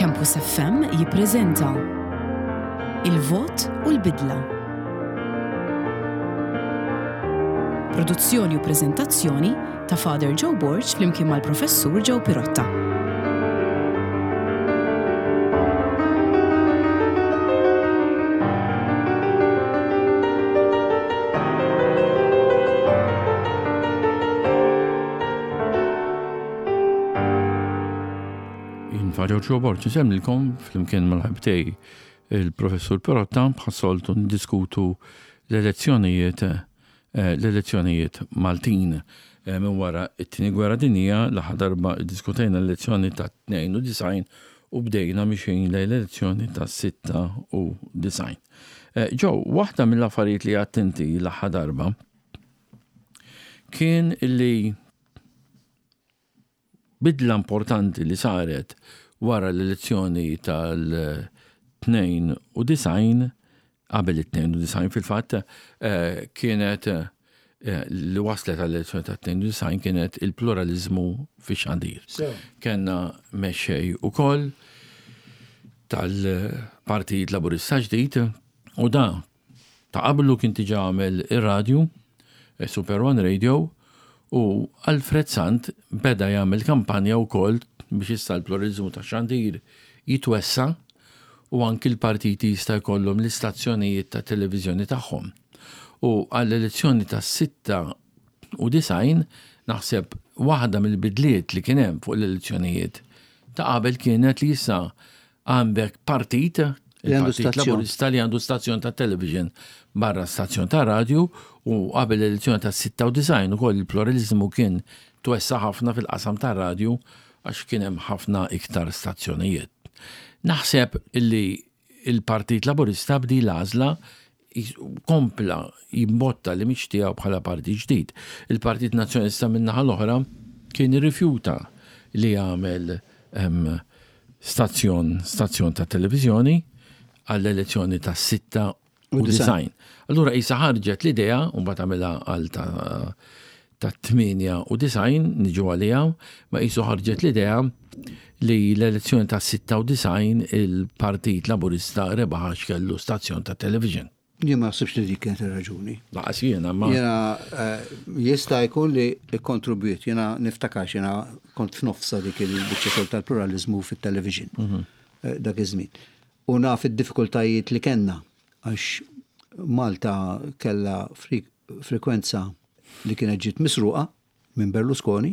Campus FM jippreżenta Il-Vot u l-Bidla. Produzzjoni u preżentazzjoni ta' Father Joe Borg flimkien mal-Professur Joe Pirotta. Jien Father Joe Borg nsemmilkom flimkien mal-ħabtej il-Professur Pirotta bħas-soltu ndiskutu l-elezzjonijiet l-elezzjonijiet Maltin. Minn wara t-Tieni Gwerra Dinjija, l-aħħar darba ddiskutejna l-elezzjoni ta' 92 u bdejna mixjin lejn l-elezzjoni ta' 96. Joe, waħda mill-affarijiet li għedt inti l-aħħar darba kien li Bidla importanti li saret wara l-elezzjoni tal-92, qabel it-92 fil-fatt, kienet li waslet għall-elezzjoni tat-92 kienet il-pluraliżmu fix-xandir. Kellna mexxej ukoll tal-Partit Laburista ġdid u da Ta' qablu kien diġà għamel ir-radju, Super One Radio, u Alfred Sant beda jagħmel kampanja wkoll biex issa l-pluraliżmu tax-xandir jitwessa' u anki l-partiti jista' jkollhom l-istazzjonijiet ta' televiżjoni tagħhom. U għall-elezzjoni tas-96 naħseb waħda mill-bidliet li kien hemm fuq l-elezzjonijiet ta' qabel kienet li issa Għandek partit, il-Partit Laburista li għandu stazzjon ta' television barra stazzjon ta' radju u qabel l-elezzjoni ta' 96 ukoll il-pluralizmu kien twessa ħafna fil-qasam ta' radju għax kien hemm ħafna iktar stazzjonijiet. Naħseb illi il-Partit Laburista bdi l-għażla kompla jimbotta li mhix tiegħu bħala partit ġdid. Il-Partit Nazzjonalista min-naħa l-oħra kien irrifjuta li jagħmel stazzjon stazzjon ta' televiżjoni għall-elezzjoni ta' 96. Allura qisha ħarġet l-idea u mbagħad għamilha għal ta' ta' 98 niġu għaliha, ma qisu ħarġet l-idea li l-elezzjoni ta' 96 il-Partit Laburista rebaħ għax kellu stazzjon ta' television. Jien ma naħsibx li dik kienet ir-raġuni. Laqas jiena ma. Jiena eh, jista' jkun li kkontribwiet, jiena niftakar jiena kont f'nofsa dik il-biċċa xogħol tal-pluralizmu fit-television mhm. eh, dak iż-żmien. U naf id-diffikultajiet li kellna għax Malta kellha frekwenza li kienet ġiet misruqa minn Berlusconi,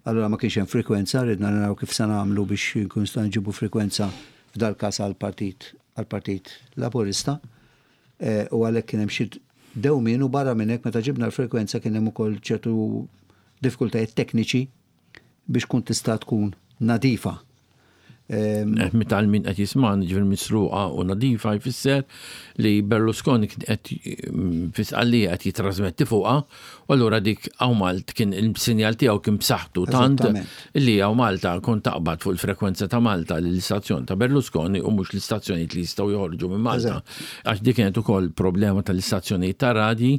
allura ma kienx hemm frekwenza, ridna naraw kif se nagħmlu biex nkunu nistgħu nġibu frekwenza f'dal-każ għall-Partit għall-Partit Laburista eh, u għalhekk kien hemm xi dewmien u barra minn hekk meta ġibna l-frekwenza kien hemm ukoll ċertu diffikultajiet tekniċi biex tkun tista' tkun nadifa. Eh, meta għal min qed jisman, ġifieri misruqa u nadifa jfisser li Berlusconi kien qed mm, fi sqallija qed jitrasmetti fuqha, u allura dik hawn Malt kien il-sinjal tiegħu kien b'saħħtu tant li hawn Malta kont taqbad fuq il-frekwenza ta' Malta l-istazzjon ta' Berlusconi u mhux l-istazzjonijiet li jistgħu joħorġu minn Malta. Għax dik kienet ukoll problema tal-istazzjonijiet ta' radji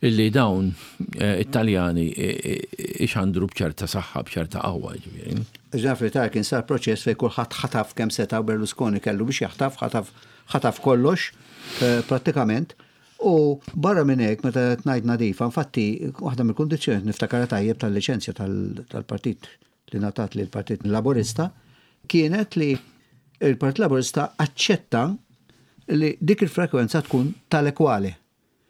Illi dawn eh, it-Taljani eh, eh, ixandru b'ċerta saħħa, b'ċerta qawwa ġifieri. Ġafri ta' kien sar proċess fejn kulħadd ħataf kemm seta' Berlusconi kellu biex jaħtaf, ħataf ħataf kollox prattikament. U barra minn hekk meta qed ngħid nadifa, infatti waħda mill-kundizzjonijiet niftakarha tajjeb tal-liċenzja tal-partit li ngħatat lill-Partit Laburista kienet li il-Partit Laburista aċċetta li dik il-frekwenza tkun tal-ekwali.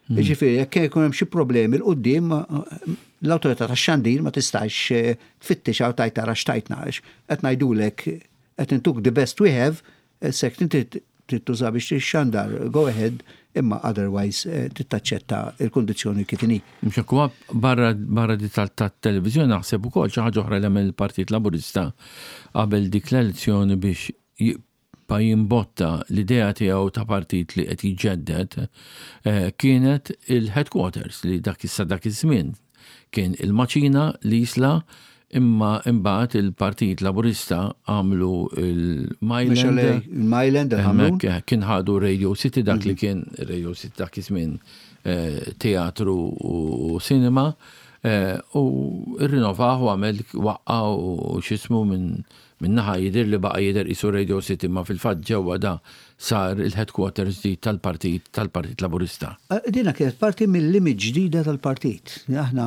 Hmm. Ġifieri, jekk jkun hemm xi problemi l quddiem l-awtorità tax-xandir ma tistax eh, tfittex għaw tajt tara x'tajtna għax qed ngħidulek qed intuk the best we have, eh, sek inti trid tuża biex tixxandar, go ahead, imma otherwise eh, tittaċċetta il-kundizzjoni kif inhi. Mhux hekk barra barra di tat-televiżjoni naħseb ukoll xi ħaġa oħra li għamel il-Partit Laburista qabel dik l-elezzjoni biex pa jimbotta l-idea tiegħu ta' partit li qed jiġġedded eh, kienet il-headquarters li dak issa dak iż-żmien kien il-maċina li jisla imma imbagħad il-Partit Laburista għamlu il-Myland. Il-Myland, il Kien ħadu Radio City dak li mhm. kien Radio City dak iż-żmien eh, teatru u cinema. U rrinovah u għamel waqqa u x'ismu minn min-naħa jidher li baqa' jidher qisu Radio City ma fil-fatt ġewwa da sar il-headquarters ġdid tal-partit tal-Partit Laburista. Dina kienet parti mill-image ġdida tal-partit. Aħna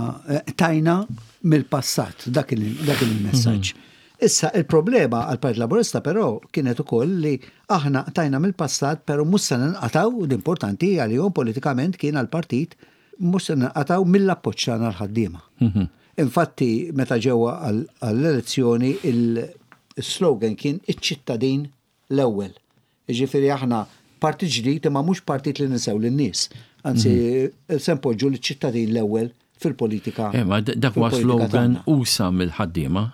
tajna mill-passat dak il-messaġġ. Issa il-problema għall-Partit Laburista però kienet ukoll li aħna tajna mill-passat però mhux se ninqatgħu, u importanti għalihom politikament kien għall-partit mhux se ninqatgħu mill-appoġġ tagħna għall-ħaddiema. Infatti meta ġew għall-elezzjoni il-slogan kien iċ-ċittadin l-ewwel. Jiġifieri aħna partit ġdid imma mhux partit li ninsew lin-nies. Anzi se npoġġu liċ-ċittadin l-ewwel fil-politika. Eh, ma dak huwa slogan usa mill-ħaddiema.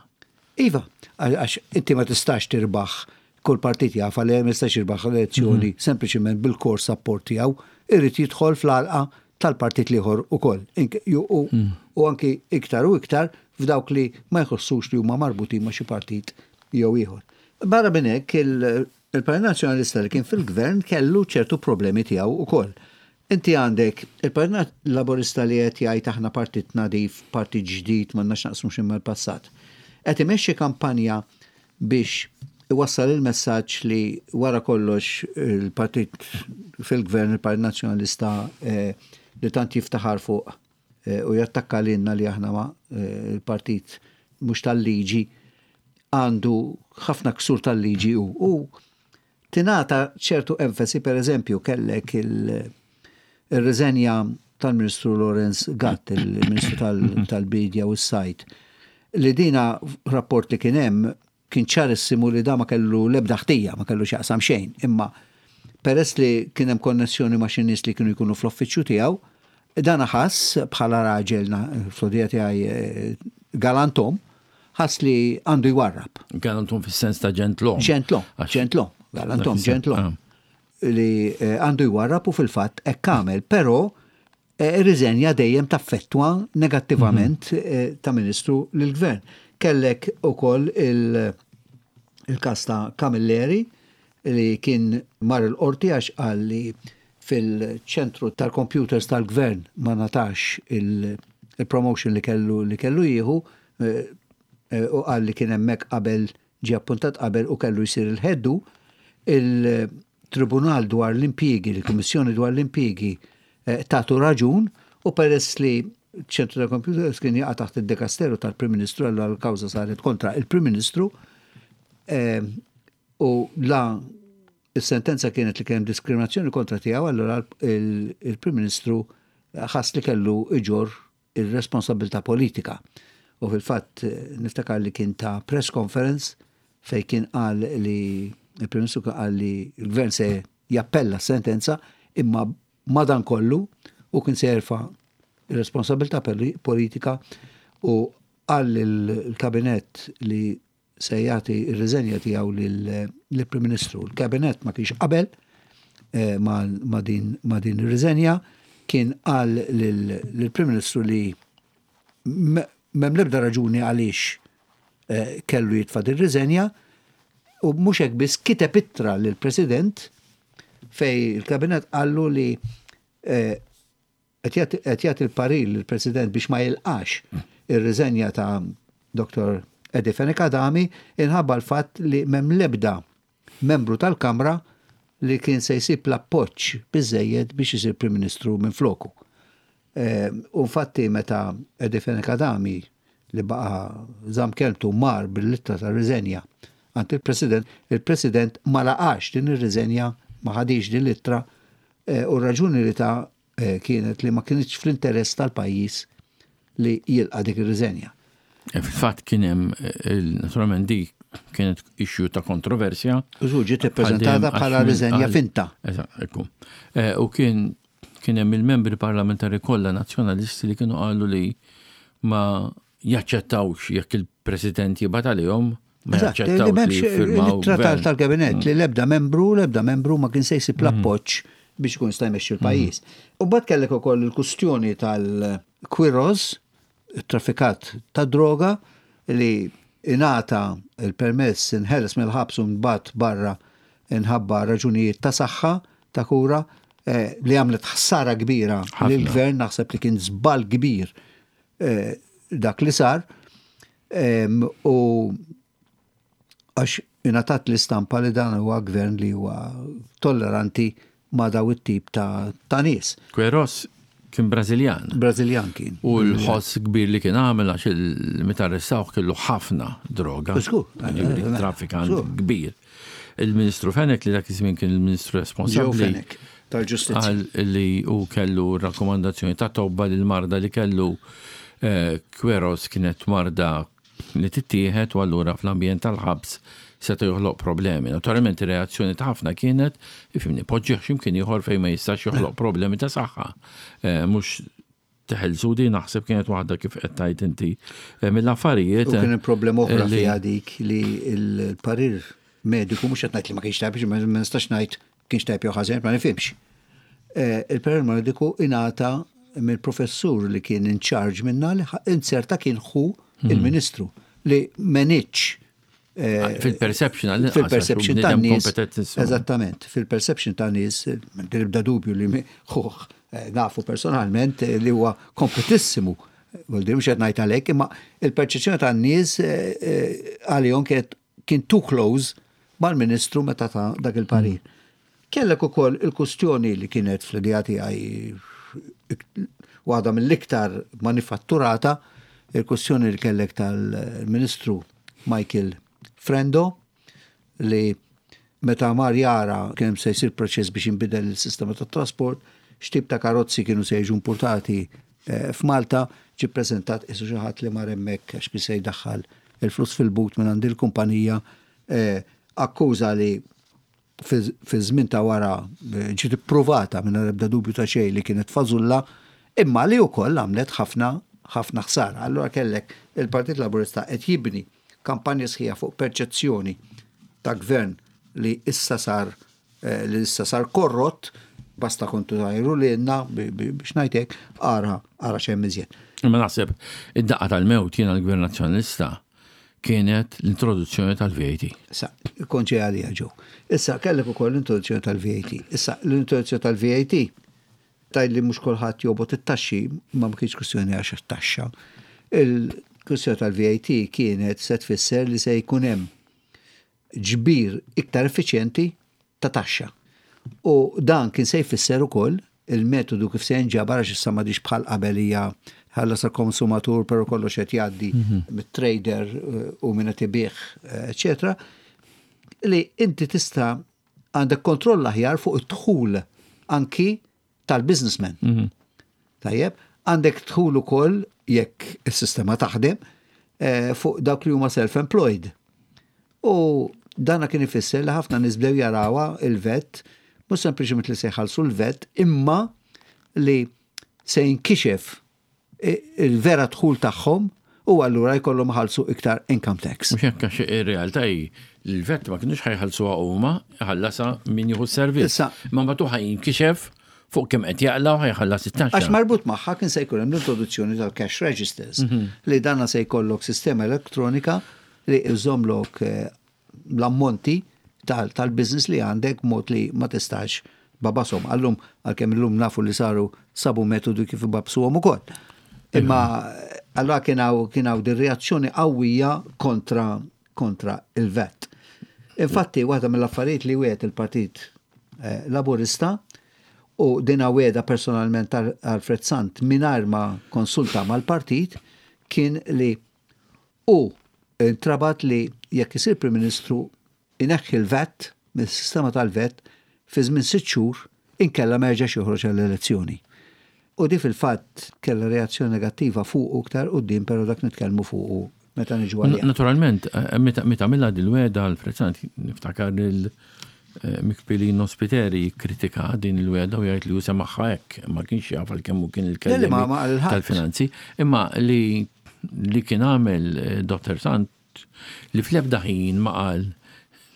Iva, għax inti ma tistax tirbaħ kull partit jaf li ma jistax jirbaħ elezzjoni mhm. sempliċement bil-core support tiegħu, irid jidħol fl-għalqa tal-partit l-ieħor ukoll. Mhm. U anki iktar u iktar f'dawk li ma jħossux li huma marbutin ma' xi partit jew ieħor. Barra minn hekk il-Partit Nazzjonalista li kien fil-gvern kellu ċertu problemi tiegħu ukoll. Inti għandek il-Partit Laburista li qed jgħid aħna partit nadif, partit ġdid, m'għandna x'naqsmu xejn mal-passat. Qed imexxi kampanja biex iwassal il-messaġġ li wara kollox il-partit fil-gvern, il-Partit Nazzjonalista eh, li tant jiftaħar fuq eh, u jattakka lilna li aħna ma eh, il-partit mhux tal-liġi għandu ħafna ksur tal-liġi u Tingħata ċertu enfasi, per eżempju, kellek ir-riżenja tal-Ministru Lawrence Gatt, il-Ministru tal-Bidja u s-Sajd, li dina rapport li kien hemm kien ċarissimu li da ma kellu l-ebda ħtija, ma kellu x'jaqsam xejn, imma peress li kien hemm konnessjoni ma' xi nies li kienu jkunu fl-uffiċċju tiegħu, dan ħass bħala raġel fl-odija tiegħi eh, galantom, ħass li għandu jwarrab. Galantom fis-sens ta' ġentlom. Ġentlom, ġentlom, galantom, ġentlom. Ah. Li eh, għandu jwarrab u fil-fatt hekk għamel, però eh, riżenja dejjem taffettwa negattivament mhm. eh, ta' ministru lill-gvern. Kellek ukoll il-każ ta' Camilleri li kien mar il-qorti għax qal li fil-ċentru tal-computers tal-gvern ma ngħatax il-promotion li kellu li kellu jieħu u qal li kien hemmhekk qabel ġie appuntat qabel u kellu jsir il-head hu. Il-Tribunal dwar l-Impjiegi, il-Kummissjoni dwar l-Impjiegi tatu raġun u peress li ċ-ċentru tal-computers kien jaqa' taħt id-dekasteru tal-Prim Ministru allura l-kawża saret kontra il-Prim Ministru u la Is-sentenza kienet li kien hemm diskriminazzjoni kontra tiegħu allura il-Prim Ministru ħass li kellu iġorr ir-responsabbiltà politika. U fil-fatt niftakar li kien ta press conference fejn kien qal li il-Prim Ministru kien qal li l-Gvern se jappella s-sentenza imma madankollu hu kien se jerfa' r-responsabbiltà politika u qal lill-Kabinett li se jagħti r-riżenja tiegħu lill-Prim Ministru. Il-Kabinett ma kienx qabel eh, ma' din ma' din ir-riżenja, kien qal lill-Prim Ministru li m'hemm l-ebda raġuni għaliex eh, kellu jitfa' din riżenja u mhux hekk biss kiteb ittra lill-President fej il-Kabinett qallu li eh, Qed jagħti l-parir lill-President biex ma jilqax ir-riżenja ta' Dottor Eddie Fenech Adami inħabba l-fatt li m'hemm l-ebda membru tal-Kamra li kien se jsib l-appoġġ biżżejjed biex isir Prim Ministru minfloku. U infatti meta Eddie Fenech Adami li baqa' żamm kelmtu mar bil-ittra ta' riżenja għand il-President, il-President ma laqax din ir-riżenja, ma ħadhiex din l-ittra U r-raġuni li ta kienet li ma kinitx fl-interess tal-pajjiż li jilqa' dik ir-riżenja. Fil-fatt kien hemm, naturalment dik kienet issue ta' kontroversja. U ġiet ippreżentata bħala riżenja finta. Eżatt, ekku. U kien kien hemm il-membri parlamentari kollha nazzjonalisti li kienu qalu li ma jaċċettawx jekk il-President jibgħat għalihom ma jaċċettawx li jiffirmaw. It-trattat tal-Kabinett li l-ebda membru, l-ebda membru ma kien se jsib mm. l-appoġġ biex ikun jista' jmexxi l-pajjiż. Mm. U mbagħad kellek ukoll il-kustjoni tal-Quiroz, traffikat ta' droga li ingħata il-permess inħeles mill-ħabs u nbagħat barra inħabba raġunijiet ta' saħħa ta' kura eh, li għamlet ħsara kbira lill-gvern naħseb li kien żball kbir. dak li sar u għax ingħatat l-istampa li dan huwa gvern li huwa tolleranti ma' daw it-tip ta', ta nies. Queiroz kien Brażiljan. Brażiljan kien. U l-ħoss kbir li kien għamel għax meta arrestawh kellu ħafna droga. Żgur. Jiġifieri traffikant kbir. Il-Ministru Fenech li dak iż-żmien kien il-Ministru responsabbli. Fenech tal-Ġustizzja. Qal li hu kellu rakkomandazzjoni ta' tobba li l-marda li kellu eh, Queiroz kienet marda li tittieħed u allura fl-ambjent tal-ħabs seta' joħloq problemi. Naturalment ir-reazzjoni ta' ħafna kienet, ifhimni, poġġih x'imkien ieħor fejn ma jistax joħloq problemi ta' saħħa. Eh, mhux teħelsu di naħseb kienet waħda kif qed tgħid inti eh, mill-affarijiet. U kien hemm problema oħra fiha dik li l-parir mediku mhux qed ngħid li ma kienx tajb, ma nistax ngħid kienx tajb jew ħażin, ma nifhimx. Eh, il-parir mediku ingħata mill-professur li kien in charge minna li inzerta kien ħu mhm. il-ministru li meniċ eh, fil-perception fil-perception ta' nies. Eżattament, fil-perception ta' nies, nibda dubju li ħuħ eh, nafu personalment li huwa kompetissimu. Vuol mhux qed ngħid għalhekk, imma il-perċezzjoni tan nies għalihom kienet kien too close mal-Ministru meta ta dak il-parir. Kellek ukoll il-kustjoni li kienet fl-idea tiegħi waħda mill-iktar manifatturata, il-kustjoni li kellek tal-Ministru Michael Frendo li meta mar jara kien se jsir proċess biex jinbidel il-sistema tat-trasport, x'tip ta' karozzi kienu se jiġu importati eh, f'Malta, ġie ppreżentat qisu xi ħadd li mar hemmhekk għax kien se jdaħħal il-flus fil-but minn għand il-kumpanija, eh, akkuża li fi żmien ta' wara eh, ġiet ippruvata minn ebda dubju ta' xejn li kienet fażulla, imma li wkoll għamlet ħafna ħafna ħsara. Allura kellek il-Partit Laburista qed jibni kampanja sħiħa fuq perċezzjoni ta' gvern li issa sar eh, li issa sar korrott, basta kontu tajru li jenna biex ngħidlek ara ara xejn iżjed. Imma naħseb id-daqqa tal-mewt jiena l-Gvern Nazzjonalista kienet l-introduzzjoni tal-VAT. Issa, kont ġej għalija ġew. Issa, kellek ukoll l-introduzzjoni tal-VAT. Issa, l-introduzzjoni tal-VAT taj li mhux kulħadd jobgħod it-taxxi, ma ma kienx kwistjoni għax taxxa. Il-kwistjoni tal-VAT kienet se tfisser li se jkun hemm ġbir iktar effiċjenti ta' taxxa. U dan kien se jfisser ukoll il-metodu kif se jinġabar għax issa m'għadix bħal qabel hija ħallas il-konsumatur però kollox qed jgħaddi mit-trader eh, u minn qed ibigħ, eh, eċetera, li inti tista' għandek kontroll aħjar fuq id-dħul anki tal-businessman. Tajjeb, għandek dħul ukoll jekk is-sistema taħdem eh, fuq dawk li huma self-employed. U dana kien ifisser li ħafna nies bdew jarawha il-VAT, mhux sempliċement li se jħallsu l-VAT, imma li se jinkixef il-vera dħul tagħhom u allura jkollhom ħalsu iktar income tax. Mhux hekk għax ir-realtà hi li l-VAT ma kinux ħa jħallsuha huma, ħallasha min jieħu s-servizz. Issa. Ma mbagħad ħa jinkixef fuq kemm qed jaqla u ħa jħallas it-taxxa. Għax marbut magħha kien se jkun hemm l-introduzzjoni tal-cash registers li danna se jkollok sistema elettronika li iżomlok eh, l-ammonti tal-business li għandek mod li ma tistax tbagħbashom. Għallum, għalkemm illum nafu li saru sabu metodu kif ibagħbsuhom ukoll. Imma allora kien hawn kien hawn din reazzjoni qawwija kontra kontra il-VAT. Infatti, waħda mill-affarijiet li wiegħed il-Partit eh, Laburista u dina wegħda personalment Alfred Sant mingħajr ma konsulta mal-partit kien li u intrabat li jekk isir Prim Ministru ineħħi l-VAT mis-sistema tal-VAT fi żmien 6 xhur inkella ma jerġax joħroġ għall-elezzjoni. U di fil-fatt kellha reazzjoni negattiva fuq iktar quddiem però dak nitkellmu fuq meta niġu għalija. Naturalment, eh, meta għamilha dil-wegħda Alfred Sant, niftakar il eh, Mick Pillino Spiteri kritika din il-wegħda u jgħid li hu semagħha hekk, ma kienx jaf għalkemm hu kien il-kelliem ma ma qal ħadd. tal-finanzi, imma li li kien għamel eh, Dr. Sant li fl-ebda ħin ma qal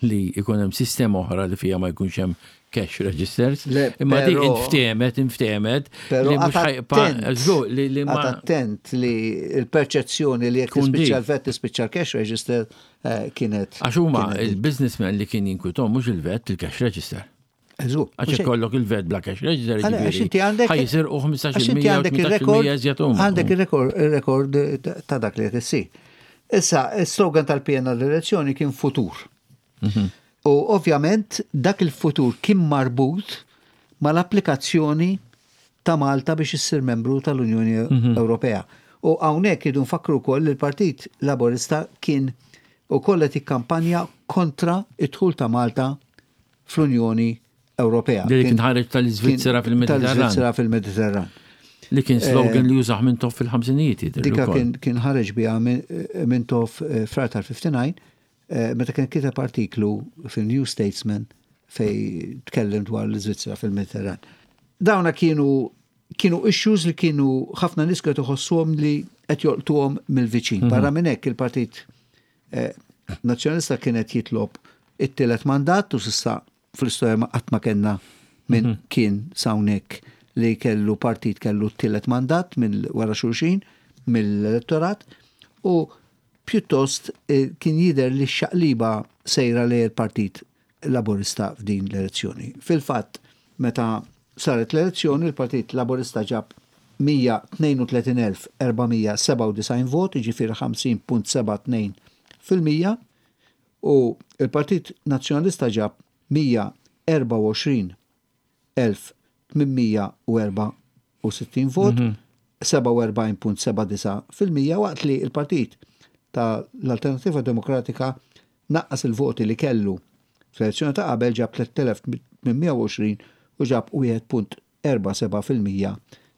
li ikun hemm sistema oħra li fija ma jkunx hemm cash registers. Le, Imma di però- inftehmet, inftehmet Pero li mhux għat ħajbqa' attent, żgur li li ma għat attent li il-perċezzjoni li jekk Tkun tispiċċa dik. l-VAT tispiċċa l-cash register eh, kienet. Għax huma kienet dik. il-businessman li kien jinkwitom mhux il-VAT, il-cash register. Għax ikollok il-vet bla cash register. Għax inti għandek. Ħa jisirqu 15% għandek il-rekord. Għandek il-rekord ta' dak li qed issir. Issa, il-slogan tal-PN għall-elezzjoni kien futur. U ovvjament dak il-futur kien marbut mal-applikazzjoni ta' Malta biex issir membru tal-Unjoni Ewropea. U hawnhekk irridu nfakkru wkoll li l-Partit Laburista kien ukoll qed jikkampanja kontra d-dħul ta' Malta fl-Unjoni Ewropea. Li kien ħareġ tal-Iżvizzera fil-Mediterran. Tal-Iżvizzera fil-Mediterran. Li kien slogan li jużah Mintoff fil-ħamsinijiet. Dika kien ħareġ biha Mintoff frar tal-59 meta kien kiteb artiklu fil-New Statesman fej tkellem dwar l-Iżvizzera fil-Mediterran. Dawna kienu kienu issues li kienu ħafna nies kienu iħossuhom li qed jolqtuhom mill-viċin. Barra minn hekk il-Partit Nazzjonalista kien qed jitlob it-tielet mandat u s'issa fl-istorja ma qatt ma kellna minn kien s'hawnhekk li kellu partit kellu t-tielet mandat minn wara xulxin mill-elettorat u pjuttost kien jidher li x-xaqliba sejra lejn il-Partit Laburista f'din l-elezzjoni. Fil-fatt, meta saret l-elezzjoni, il-Partit Laburista ġab 132,497 vot, jiġifieri 50.72%, u l-Partit Nazzjonalista ġab 124,864 vot, 47.79%, waqt li l-Partit ta' l-Alternattiva Demokratika naqqas il-voti li kellu fl-elezzjoni ta' qabel ġab 3,820 u ġab 1.47%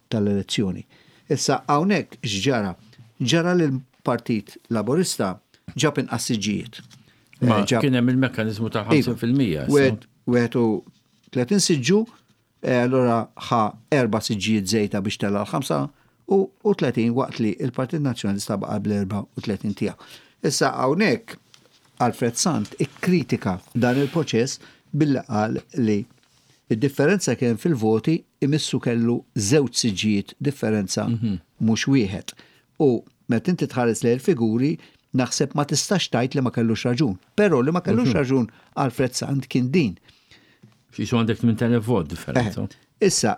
tal-elezzjoni. Issa hawnhekk x'ġara? Ġara li l-Partit Laburista ġab inqas siġġijiet. Ma kien hemm il-mekkaniżmu ta' 50%. 31 siġġu, allura ħa erba' siġġijiet żejda biex tella' l-35 waqt li l-Partit Nazzjonalista baqa' bl-34 tiegħu. Issa hawnhekk Alfred Sant ikkritika dan il-proċess billi qal li d-differenza kien fil-voti imissu kellu żewġ siġġijiet differenza mhux wieħed. U meta inti tħares lejn il-figuri naħseb ma tistax tgħid li ma kellux raġun. Però li ma kellux raġun Alfred Sant kien din. Qisu għandek 8,000 vot differenza. Issa,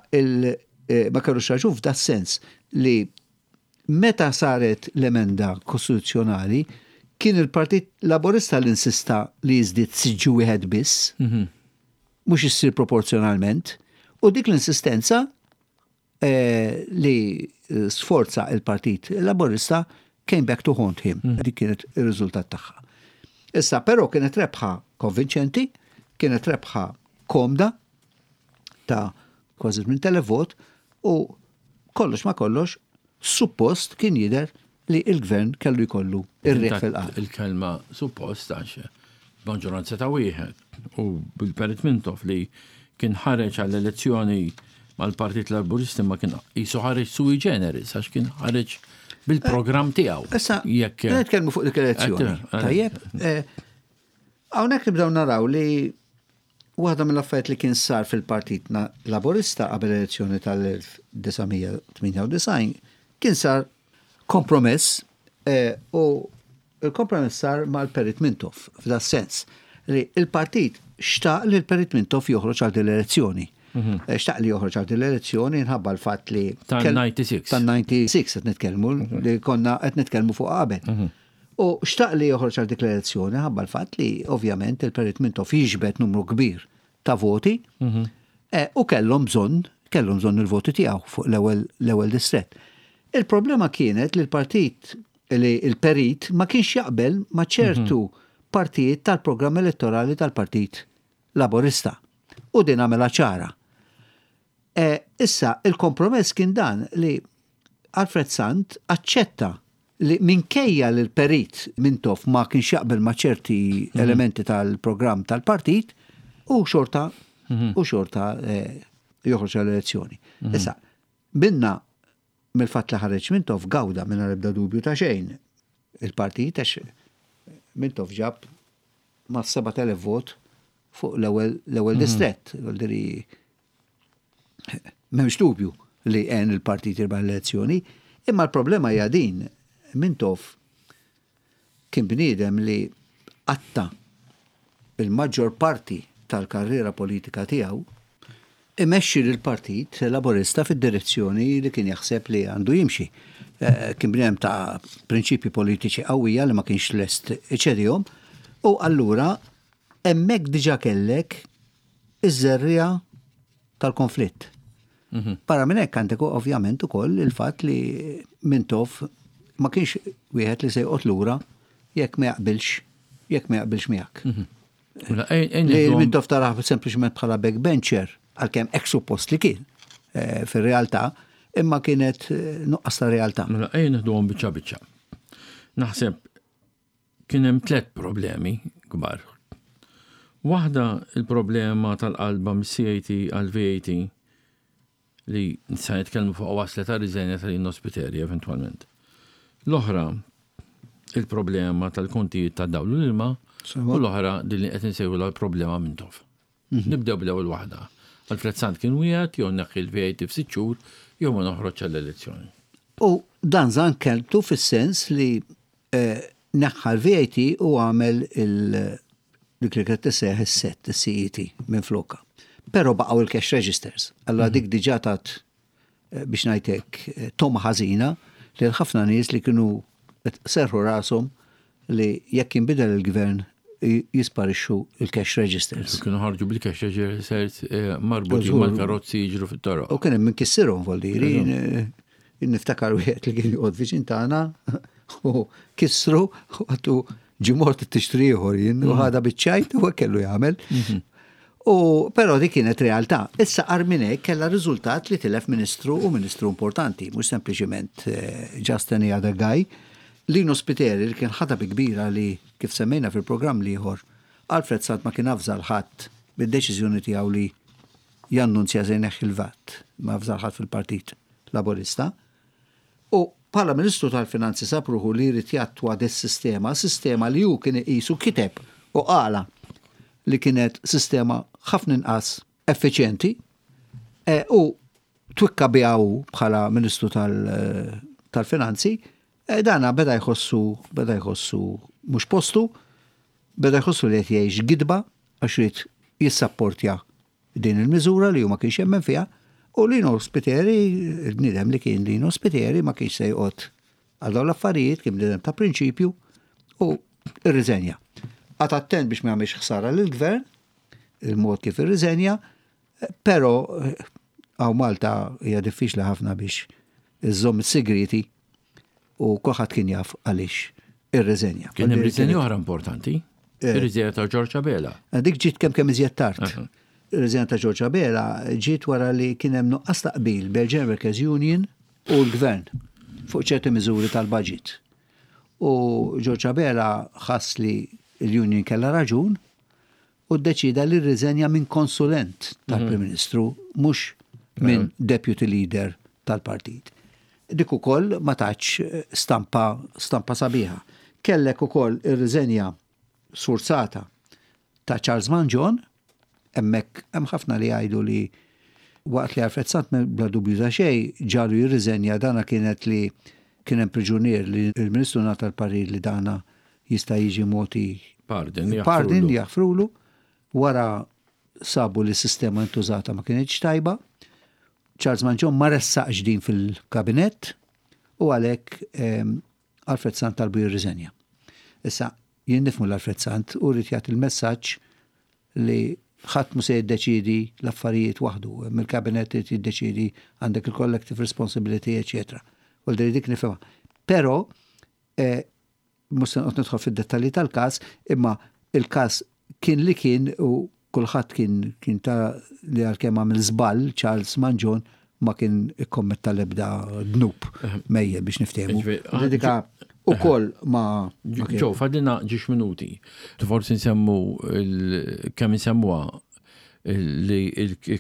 ma kellux raġun f'da sens li meta saret l-emenda kostituzzjonali kien il-Partit Laburista li insista li jiżdied siġġu wieħed biss, mhux issir proporzjonalment, u dik l-insistenza li sforza il-Partit Laburista came back to haunt him. Dik kienet ir-riżultat tagħha. Issa, però kienet rebħa konvinċenti, kienet rebħa komda ta' kważi 8,000 vot u kollox ma kollox suppost kien jidher li il-gvern kellu jkollu ir-riħ fil-qalb. Il-kelma suppost għax maġġoranza ta' wieħed u bil-Perit Mintoff li kien ħareġ għall-elezzjoni mal-Partit Laburisti ma kien qisu ħareġ sui generis għax kien ħareġ bil-programm tiegħu. Issa, jekk nitkellmu fuq dik l-elezzjoni. Tajjeb, hawnhekk nibdew naraw li waħda mill-affarijiet li kien sar fil-Partit Laburista qabel l-elezzjoni tal-1998 kien sar kompromess u il-kompromess sar mal-Perit Mintoff f'da sens li il-partit xtaq li l-Perit Mintoff joħroġ għal din l-elezzjoni. Xtaq li joħroġ għal din l-elezzjoni nħabba l-fatt li Tan-96. Tan-96 qed nitkellmu li konna qed nitkellmu fuq qabel. U xtaq li joħroġ għal dik l-elezzjoni ħabba l-fatt li ovvjament il-Perit Mintoff jiġbed numru kbir ta' voti u kellhom bżonn kellhom bżonn il-voti tiegħu fuq l-ewwel distrett. Il-problema kienet li l-partit li l-Perit ma kienx jaqbel ma' ċertu partijiet tal-programm elettorali tal-Partit Laburista. U din għamilha ċara. Issa, il-kompromess kien dan li Alfred Sant aċċetta li minkejja li l-Perit Mintoff ma kienx jaqbel ma' ċerti elementi tal-programm tal-partit, u xorta u xorta joħroġ għall-elezzjoni. Issa, minna mill-fatt li ħareġ Mintoff gawda mingħajr ebda dubju ta' xejn il-partit għax Mintoff ġab ma' 7,000 vot fuq l-ewwel distrett. M'hemmx dubju li għen il-partit jirbaħ l-elezzjoni, imma l-problema hija din. Mintoff kien bniedem li qatta il-maġġor parti tal-karriera politika tiegħu. imexxi lill-Partit Laburista fid-direzzjoni li kien jaħseb li għandu jimxi. Kien bniedem ta' prinċipji politiċi qawwija li ma kienx lest iċedihom u allura hemmhekk diġà kellek iż-żerriegħa tal-konflitt. Mhm. Barra minn hekk għandek ovvjament ukoll il-fatt li Mintoff ma kienx wieħed li se joqgħod lura jekk ma jaqbilx jekk ma jaqbilx miegħek. Mhm. Mela, li Mintoff taraħ sempliċement bħala backbencher għalkemm hekk suppost li kien eh, fir-realtà, imma kienet eh, nuqqas ta' realtà. Mela ejja nieħduhom biċċa biċċa. Naħseb Kien hemm tlett problemi kbar. Waħda il-problema tal-qalba mis-CAT għall-VAT li nista' nitkellmu fuq waslet għal riżenja ta' Lino Spiteri eventwalment. L-oħra il-problema tal-kontijiet tad-dawl u l-ilma u l-oħra din li qed insejħulha l-problema Mintoff. Mhm. Nibdew bl-ewwel waħda. Alfred Sant kien wieħed jew neħħi l-VAT f'sitt xhur jew ma noħroġ għall-elezzjoni. U dan żan kelmtu fis-sens li eh, neħħa l-VAT u għamel dik li kienet tissejjaħ is-set, is-CET minn flokka. Però baqgħu il-cash registers. Allora mhm. dik diġà tat eh, biex ngħidlek eh, toma ħażina lil ħafna nies li kienu serħu rashom li jekk jinbidel il-gvern jisparixxu il-cash registers. Kienu ħarġu bil-cash registers eh, marbutin mal-karozzi jiġru fit-toroq. U kien hemm min kissirhom voldiri. Niftakar wieħed li kien joqgħod viċin tagħna u kissru u għattu ġimort tixtri ieħor jien u mm. ħada biċ-ċajt u kellu jagħmel. Mhm. U però dik kienet realtà. Issa agħar minn hekk kellha riżultat li tilef ministru u ministru importanti, mhux sempliċiment eh, just any other guy. Lino Spiteri li kien ħadha bi kbira li kif semmejna fil-programm l-ieħor, Alfred Sant ma kien avża 'l ħadd bid-deċiżjoni tiegħu li jannunzja se jneħħi l-VAT, ma avża 'l ħadd fil-Partit Laburista. U bħala Ministru tal-Finanzi sab ruħu li jrid jattwa dis-sistema, sistema li hu kien iqis u kiteb u qalha li kienet sistema ħafna inqas effiċjenti e, u twikka biha hu bħala Ministru tal-Finanzi, e, dana beda jħossu beda jħossu mhux postu, beda jħossu li qed jgħix gidba għax ried jissapportja din il-miżura li hu ma kienx jemmen fiha u Lino Spiteri, il-bniedem li kien Lino Spiteri ma kienx se joqgħod għal dawn l-affarijiet, kien bniedem ta' prinċipju u rriżenja. Qagħad attent biex ma jagħmilx ħsara lill-gvern, il-mod kif irriżenja, però hawn Malta hija diffiċli ħafna biex iżżomm is-sigrieti u kulħadd kien jaf għaliex irriżenja. Kien hemm riżenja oħra importanti, eh. ir-riżenja ta' George Abela. Eh, dik ġiet kemm kemm iżjed tard. Ir-riżenja ta' George Abela ġiet wara li kien hemm nuqqas ta' qbil bejn General Workers Union u l-Gvern fuq ċerti miżuri tal-budget. U George Abela ħass li l-union kellha raġun u ddeċieda li rriżenja minn konsulent tal-Prim mhm. Ministru, mhux minn deputy leader tal-partit. Dik ukoll ma tatx eh, stampa, stampa sabiħa. Kellek ukoll ir-riżenja sfurzata ta' Charles Mangion, hemmhekk hemm ħafna li jgħidu li waqt li Alfred Sant bla dubju ta' xejn ġalu jirriżenja dana kienet li kien hemm priġunier li l-Ministru ngħata l-parir li dana jista' jiġi mogħti pardon, pardon jaħfrulu wara sabu li s-sistema intużata ma kinitx tajba. Charles Mangion ma ressaqx din fil-kabinett u għalhekk ehm, Alfred Sant talbu jirriżenja. Issa, jien nifhmu l-Alfred Sant u rrid jagħti l-messaġġ li ħadd mhu se jiddeċiedi l-affarijiet waħdu, hemm il-kabinett irid jiddeċiedi għandek il-collective responsibility, eċetera. U dik nifhimha. Però eh, mhux se noqgħod nidħol fid-dettalji tal-każ, imma il-każ kien li kien u kulħadd kien kien ta' li għalkemm għamel żball Charles Mangion ma kien ikkommetta l-ebda dnub mejjel biex niftehmu. Dika ukoll ma. Ġo, fadlina ġiex minuti. Forsi nsemmu kemm insemmuha li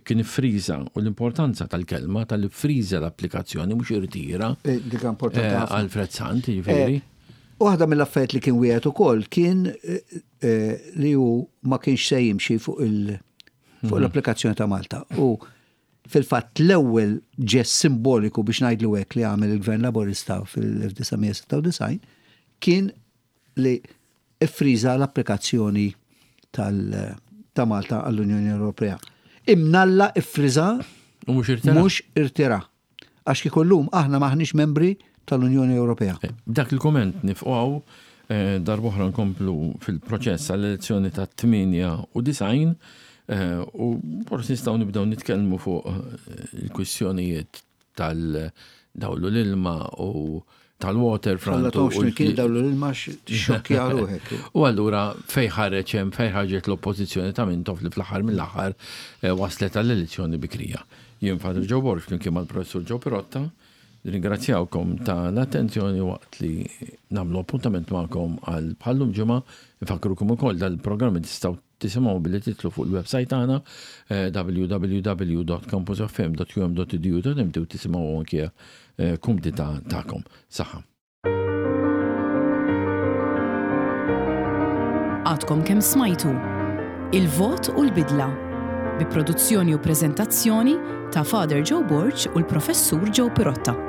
kien iffriża u l-importanza tal-kelma tal-iffriża l-applikazzjoni mhux irtira. Eh, dik importanti. Eh, Alfred Sant, jiġifieri. Eh, waħda mill-affarijiet li kien wieħed ukoll kien li hu ma kienx se jimxi fuq il fuq mhm. l-applikazzjoni ta' Malta. U fil-fatt l-ewwel ġest simboliku biex ngħidlu hekk li għamel il-Gvern Laburista fil-1996 kien li iffriża l-applikazzjoni ta' Malta għall-Unjoni Ewropea. Imnalla iffriża U mhux irtira. Mhux irtira. Għax kieku llum aħna m'aħniex membri tal-Unjoni Ewropea. B'dak il-kumment nifqu hawn, darb'oħra nkomplu fil-proċess għall-elezzjoni tat-98 u forsi nistgħu nibdew nitkellmu fuq il-kwistjonijiet tal-dawlu l-ilma u tal-waterfront. Alla tomx kien dawlu l-ilma xokja ruħek. U allura fej ħareġ hemm fej ħarġet l-oppożizzjoni ta' Mintoff li fl-aħħar mill-aħħar eh, waslet għall-elezzjoni bikrija. Jien Father Joe Borg flimkien mal-Professur Joe Pirotta, ringrazzjawkom ta' l-attenzjoni waqt li nagħmlu appuntament magħkom għal bħallum ġimgħa, nfakrukom ukoll dal-programmi tistgħu Tisimgħu billi titlu fuq il-website tagħna eh, www.campusfm.um.edu.mt u tisimgħu anke eh, kumdità tagħkom. Saħħa. Għadkom kemm smajtu Il-Vot u l-Bidla bi produzzjoni u preżentazzjoni ta' Father Joe Borg u l-Professur Joe Pirotta.